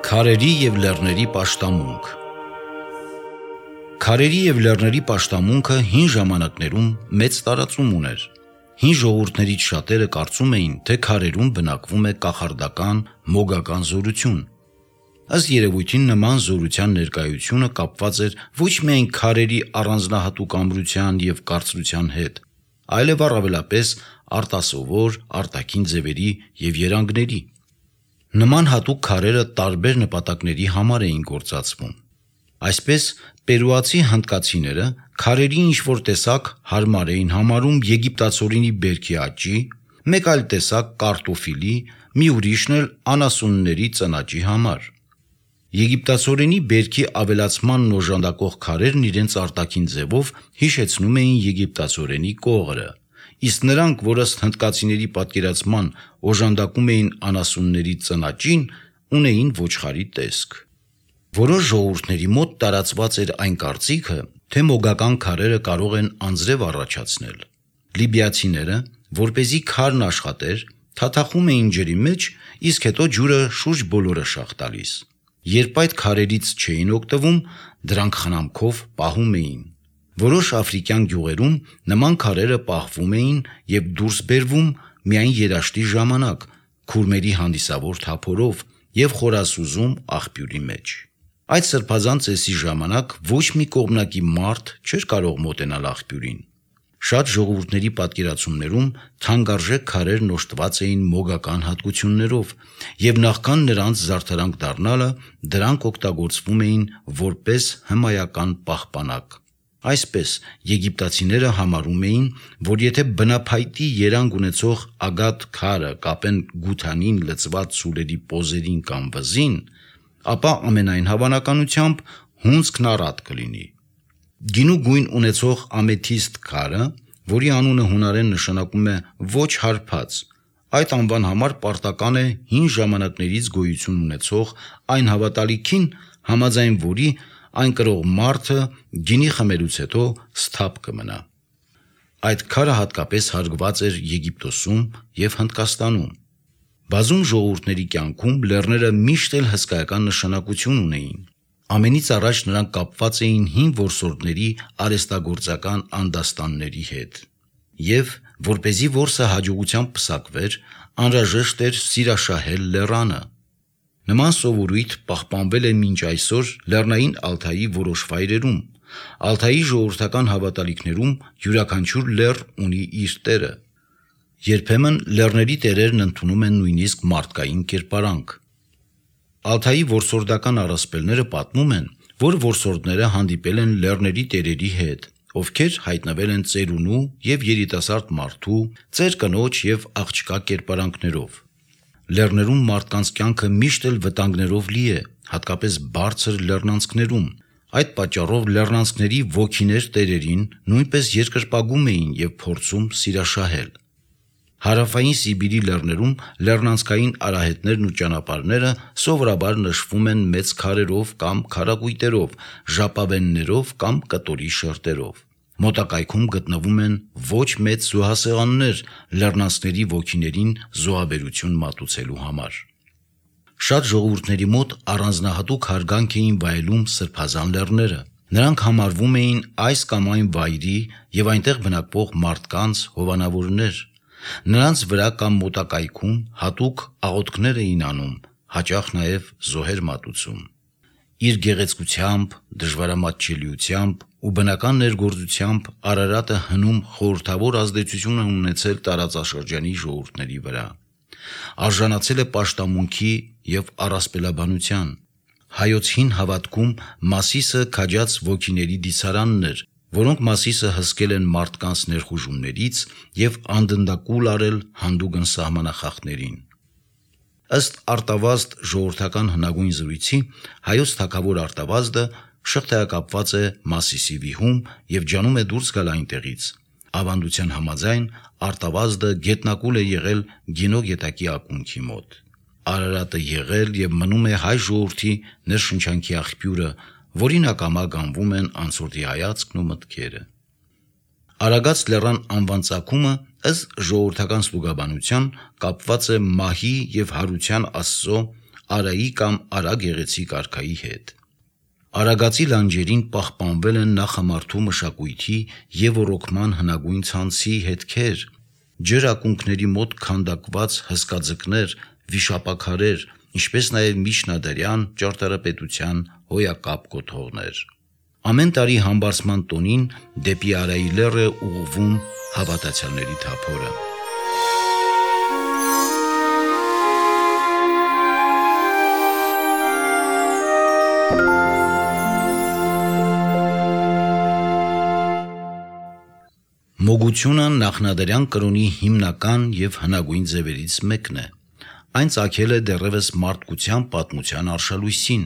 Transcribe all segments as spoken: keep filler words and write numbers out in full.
Քարերի և լեռների պաշտամունք։ Քարերի և լեռների պաշտամունքը հին ժամանակներում մեծ տարածում ուներ։ Հին ժողովուրդներից շատերը կարծում էին, թե քարերում բնակվում է կախարդական, մոգական զորություն։ Ըստ երևույթին նման զորության ներկայությունը կապված էր ոչ միայն քարերի առանձնահատուկ ամրության և կարծրության հետ, այլև առավելապես արտասովոր, արտաքին ձևերի և երանգների։ Նման հատուկ քարերը տարբեր նպատակների համար էին գործածվում։ Այսպես, պերուացի հնդկացիները քարերի ինչ-որ տեսակ հարմար էին համարում եգիպտացորենի բերքի աճի, մեկ այլ տեսակ կարտոֆիլի, մի ուրիշն էլ անասունների ծնաճի համար։ Եգիպտացորենի բերքի ավելացմանն օժանդակող քարերն իրենց արտաքին ձևով հիշեցնում էին եգիպտացորենի կողրը, իսկ նրանք, որ ըստ հնդկացիների պատկերացման օժանդակում էին անասունների ծնաճին, ունեին ոչխարի տեսք։ Որոշ ժողովուրդների մոտ տարածված էր այն կարծիքը, թե մոգական քարերը կարող են անձրև առաջացնել։ Լիբիացիները, որպեսզի քարն աշխատեր, թաթախում էին ջրի մեջ, իսկ հետո ջուրը շուրջ բոլորը շաղ տալիս։ Երբ այդ քարերից չէին օգտվում, դրանք խնամքով պահում էին։ Որոշ աֆրիկյան գյուղերում նման քարերը պահվում էին և դուրս բերվում միայն երաշտի ժամանակ, քուրմերի հանդիսավոր թափորով և խորասուզում աղբյուրի մեջ։ Այդ սրբազան ծեսի ժամանակ ոչ մի կողմնակի մարդ չէր կարող մոտենալ աղբյուրին։ Շատ ժողովուրդների պատկերացումներում թանկարժեք քարերն օժտված էին մոգական հատկություններով, և նախքան նրանց զարդարանք դառնալը, դրանք օգտագործվում էին որպես հմայական պահպանակ։ Այսպես, եգիպտացիները համարում էին, որ եթե բնափայտի երանգ ունեցող ագաթ քարը կապեն գութանին լցված սուլերի պոզերին կամ վզին, ապա ամենայն հավանականությամբ հունձքն առատ կլինի։ Գինու գույն ունեցող ամեթիստ քարը, որի անունը հունարեն նշանակում է ոչ հարբած, այդ անվան համար պարտական է հին ժամանակներից գոյություն ունեցող այն հավատալիքին, համաձայն որի այն կրող մարդը գինի խմելուց հետո սթափ կմնա։ Այդ քարը հատկապես հարգված էր Եգիպտոսում և Հնդկաստանում։ Բազում ժողովուրդների կյանքում լեռները միշտ էլ հսկայական նշանակություն ունեին։ Ամենից առաջ նրանք կապված էին հին որսորդների արհեստագործական անդաստանների հետ։ Եվ, որպեսզի որսը հաջողությամբ պսակվեր, անհրաժեշտ էր սիրաշահել լեռանը։ Նման սովորույթ պահպանվել է մինչ այսօր Լեռնային Ալթայի որոշ վայրերում։ Ալթայի ժողովրդական հավատալիքներում յուրաքանչյուր լեռ ունի իր տերը։ Երբեմն լեռների տերերն ընդունում են նույնիսկ մարդկային կերպարանք։ Ալթայի որսորդական առասպելները պատմում են, որ որսորդները հանդիպել են լեռների տերերի հետ, ովքեր հայտնվել են ծերունու և երիտասարդ մարդու, ծեր կնոջ և աղջկա կերպարանքներով։ Լեռներում մարդկանց կյանքը միշտ էլ վտանգներով լի է, հատկապես բարձր լեռնանցքներում։ Այդ պատճառով լեռնանցքների ոգիներ տերերին նույնպես երկրպագում էին և փորձում սիրաշահել։ Հարավային Սիբիրի լեռներում լեռնանցքային արահետներն ու ճանապարհները սովորաբար նշվում են մեծ քարերով կամ քարակույտերով, ժապավեններով կամ կտորի շերտերով։ Մոտակայքում գտնվում են ոչ մեծ զոհասեղաններ լեռնանցքների ոգիներին զոհաբերություն մատուցելու համար։ Շատ ժողովուրդների մոտ առանձնահատուկ հարգանք էին վայելում սրբազան լեռները։ Նրանք համարվում էին այս կամ այն վայրի և այնտեղ բնակվող մարդկանց հովանավորներ։ Նրանց վրա կամ մոտակայքում հատուկ աղոթքներ էին անում, հաճախ նաև զոհեր մատուցում։ Իր գեղեցկությամբ, դժվարամատչելիությամբ ու բնական ներգործությամբ Արարատը հնում խորհրդավոր ազդեցություն է ունեցել տարածաշրջանի ժողովուրդների վրա։ Արժանացել է պաշտամունքի և առասպելաբանության։ Հայոց հին հավատքում Մասիսը քաջած ոգիների դիցարանն էր, որոնք Մասիսը հսկել են մարդկանց ներխուժումներից և անդնդակուլ արել հանդուգն սահմանախախտներին։ Ըստ Արտավազդ ժողովրդական հնագույն զրույցի, հայոց թագավոր Արտավազդը շղթայակապված է Մասիսի վիհում և ջանում է դուրս գալ այնտեղից։ Ավանդության համաձայն Արտավազդը գետնակուլ է եղել Գինո գետակի ակունքի մոտ։ Արարատը եղել և մնում է հայ ժողովրդի ներշնչանքի աղբյուրը, որին ակամա գանվում են անցորդի հայացքն ու մտքերը։ Արագած լեռան անվան ծագումը ըստ ժողովրդական ստուգաբանության կապված է մահի և հարության աստծո Արայի կամ Արա գեղեցիկ արքայի հետ։ Արագածի լանջերին պահպանվել են նախամարդու մշակույթի եւ ոռոգման հնագույն ցանցի հետքեր, ջրակունքների մոտ քանդակված հսկաձկներ, վիշապաքարեր, ինչպես նաեւ միջնադարյան ճարտարապետության հոյակապ կոթողներ։ Ամեն տարի համբարձման տոնին դեպի Արայի լեռ է ուղղվում հավատացյալների թափորը։ Մոգությունը նախնադարյան կրոնի հիմնական եւ հնագույն ձևերից մեկն է։ Այն ծագել է դեռևս մարդկության պատմության արշալույսին։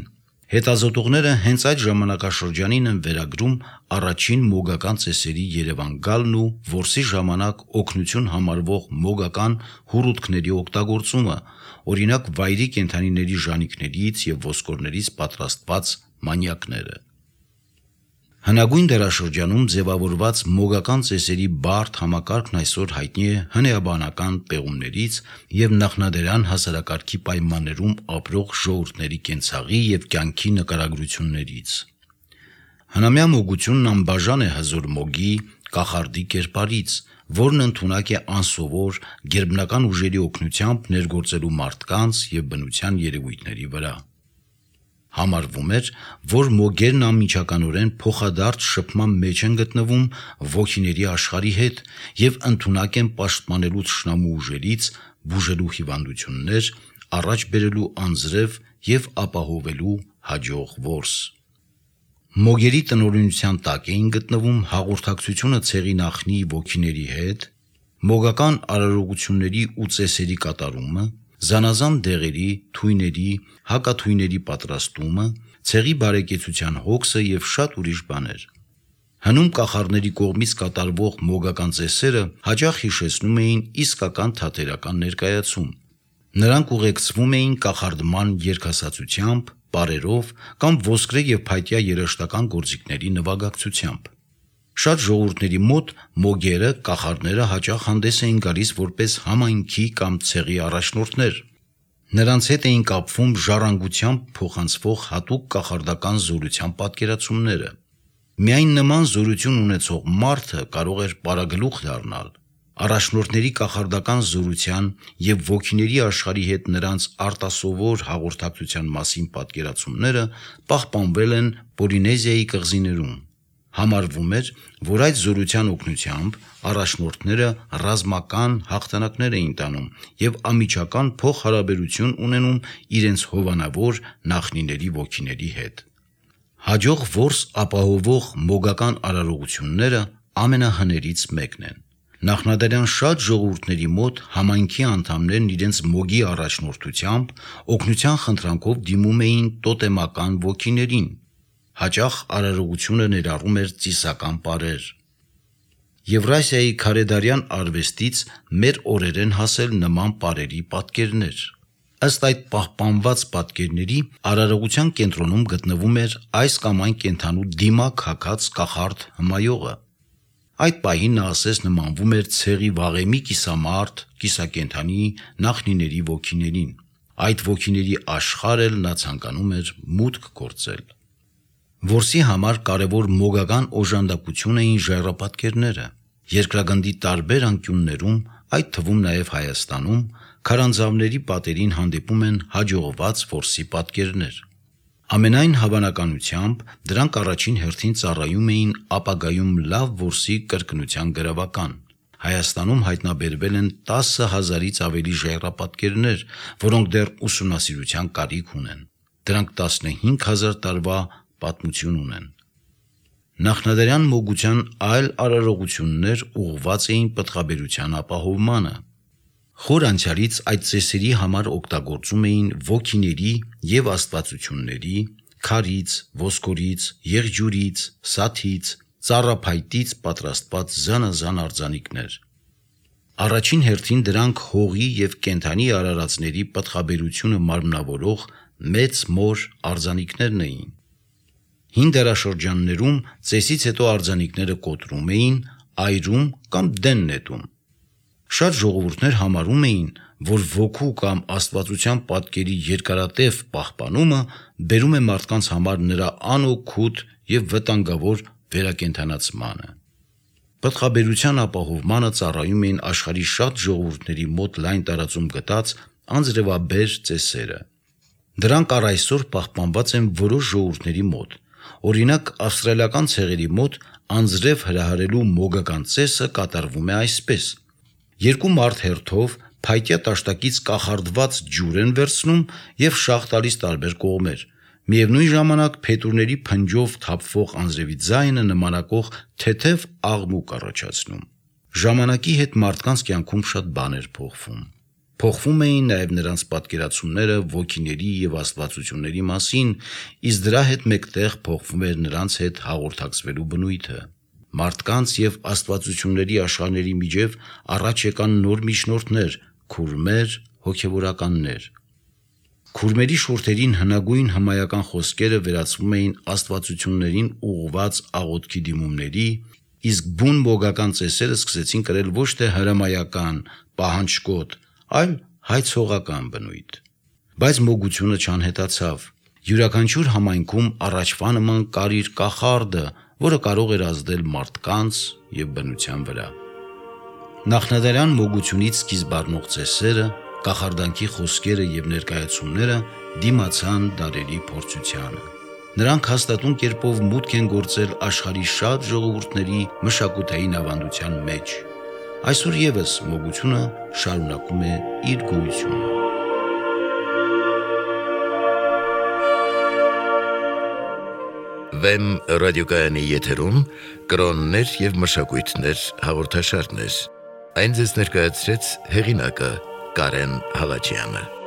Հետազոտողները հենց այդ ժամանակաշրջանին են վերագրում առաջին մոգական ծեսերի Երևան գալն ու որսի ժամանակ օգնություն համարվող մոգական հուրուտքների օգտագործումը, օրինակ վայրի կենդանիների ժանիքներից եւ ոսկորներից պատրաստված մանյակները։ Հնագույն դարաշրջանում ձևավորված մոգական ծեսերի բարդ համակարգն այսօր հայտնի է հնեաբանական պեղումներից եւ նախնադարյան հասարակարգի պայմաններում ապրող ժողովուրդների կենցաղի եւ կյանքի նկարագրություններից։ Հնամյա մոգությունն անբաժան է հզոր մոգի, կախարդի կերպարից, որն ընդունակ է անսովոր գերբնական ուժերի օգնությամբ ներգործելու մարդկանց եւ բնության երևույթների վրա։ Համարվում էր, որ մոգերն անմիջականորեն փոխադարձ շփման մեջ են գտնվում ոգիների աշխարհի հետ եւ ընդունակ են պաշտպանելու թշնամու ուժերից, բուժելու հիվանդություններ, առաջ բերելու անձրև եւ ապահովելու հաջող որս։ Մոգերի տնօրինության տակ էին գտնվում հաղորդակցությունը ցեղի նախնի ոգիների հետ, մոգական արարողությունների ու ծեսերի կատարումը, զանազան դեղերի, թույների, հակաթույների պատրաստումը, ցեղի բարեկեցության հոգսը եւ շատ ուրիշ բաներ։ Հնում կախարդների կողմից կատարվող մոգական ծեսերը հաճախ հիշեցնում էին իսկական թատերական ներկայացում։ Նրանք ուղեկցվում էին կախարդման երգասացությամբ, պարերով կամ ոսկրե եւ փայտյա երաժշտական գործիքների նվագակցությամբ։ Շատ ժողովուրդների մոտ մոգերը, կախարդները հաճախ հանդես էին գալիս որպես համայնքի կամ ցեղի առաջնորդներ։ Նրանց հետ էին կապվում ժառանգությամբ փոխանցվող հատուկ կախարդական զորության պատկերացումները։ Միայն նման զորություն ունեցող մարդը կարող էր պարագլուխ դառնալ։ Առաջնորդների կախարդական զորության եւ ոգիների աշխարհի հետ նրանց արտասովոր հաղորդակցության մասին պատկերացումները պահպանվել են Պոլինեզիայի կղզիներում։ Համարվում էր, որ այդ զորության օգնությամբ առաջնորդները ռազմական հաղթանակներ էին տանում եւ անմիջական փոխհարաբերություն ունենում իրենց հովանավոր նախնիների ոգիների հետ։ Հաջող որս ապահովող մոգական արարողությունները ամենահներից մեկն են։ Նախնադարյան շատ ժողովուրդների մոտ համայնքի անդամներն իրենց մոգի առաջնորդությամբ օգնության խնդրանքով դիմում էին տոտեմական ոգիներին։ Հաճախ արարողությունը ներառում էր ծիսական պարեր։ Եվրասիայի քարեդարյան արվեստից մեր օրեր են հասել նման պարերի պատկերներ։ Ըստ այդ պահպանված պատկերների արարողության կենտրոնում գտնվում էր այս կամ այն կենդանու դիմակ հագած կախարդ հմայողը։ Այդ պահին նա ասես նմանվում էր ցեղի վաղեմի կիսամարդ, կիսակենդանի նախնիների ոգիներին։ Այդ ոգիների աշխարհ էլ նա ցանկանում էր մուտք գործել։ Որսի համար կարևոր մոգական օժանդակություն էին ժայռապատկերները։ Երկրագնդի տարբեր անկյուններում, այդ թվում նաև Հայաստանում, քարանձավների պատերին հանդիպում են հաջողված որսի պատկերներ։ Ամենայն հավանականությամբ դրանք առաջին հերթին ծառայում էին ապագայում լավ որսի կրկնության գրավական։ Հայաստանում հայտնաբերվել են տասը հազարից ավելի ժայռապատկերներ, որոնք դեռ ուսումնասիրության կարիք ունեն։ Դրանք տասնհինգ հազար տարվա պատմություն ունեն։ Նախնադարյան մոգության այլ արարողություններ ուղղված էին պտղաբերության ապահովմանը։ Խոր անցյալից այդ ծեսերի համար օգտագործում էին ոգիների եւ աստվածությունների, քարից, ոսկորից, եղջյուրից, սաթից, ծառափայտից պատրաստված զանազան արձանիկներ։ Առաջին հերթին դրանք հողի եւ կենդանի արարածների պտղաբերությունը մարմնավորող մեծ մոր արձանիկներն էին։ Հին դարաշրջաններում ծեսից հետո արձանիկները կոտրում էին, այրում կամ դեն նետում։ Շատ ժողովուրդներ համարում էին, որ ոգու կամ աստվածության պատկերի երկարատև պահպանումը բերում է մարդկանց համար նրա անօգուտ եւ վտանգավոր վերակենդանացմանը։ Պտղաբերության ապահովմանը ծառայում էին աշխարհի շատ ժողովուրդների մոտ լայն տարածում գտած անձրևաբեր ծեսերը։ Դրանք առ այսօր պահպանված են որոշ ժողովուրդների մոտ։ Օրինակ, ավստրալիական ցեղերի մոտ անձրև հրահարելու մոգական ծեսը կատարվում է այսպես. երկու մարդ հերթով փայտյա տաշտակից կախարդված ջուր են վերցնում եւ շաղ տալիս տարբեր կողմեր։ Միևնույն ժամանակ փետուրների փնջով թափվող անձրևի ձայնը նմանակող թեթև աղմուկ առաջացնում։ Ժամանակի հետ մարդկանց կյանքում շատ բաներ փոխվում։ Փոխվում էին նաև նրանց պատկերացումները ոգիների եւ աստվածությունների մասին, իսկ դրա հետ մեկտեղ փոխվում էր նրանց հետ հաղորդակցվելու բնույթը։ Մարդկանց եւ աստվածությունների աշխարհների միջև առաջ եկան նոր միջնորդներ, քուրմեր, հոգեվորականներ։ Քուրմերի շուրթերին հնագույն հմայական խոսքերը վերածվում էին աստվածություններին ուղղված աղոթքի դիմումների, իսկ բուն մոգական ծեսերը սկսեցին կրել ոչ թե հրամայական, պահանջկոտ, այլ հայցողական բնույթ։ Բայց մոգությունը չանհետացավ։ Յուրաքանչյուր համայնքում առաջվա նման կար իր կախարդը, որը կարող էր ազդել մարդկանց եւ բնության վրա։ Նախնադարյան մոգությունից սկիզբ առնող ծեսերը, կախարդանքի խոսքերը եւ ներկայացումները դիմացան դարերի փորձությանը։ Նրանք հաստատուն կերպով մուտք են գործել աշխարհի շատ ժողովուրդների մշակութային ավանդության մեջ։ Այսօր եւս մոգությունը շարունակում է իր գոյությունը։ Վեմ ռադիոկայանի եթերում կրոններ եւ մշակույթներ հաղորդաշարներ։ Այն ձեզ ներկայացրեց հեղինակը Կարեն Հալաջյանը։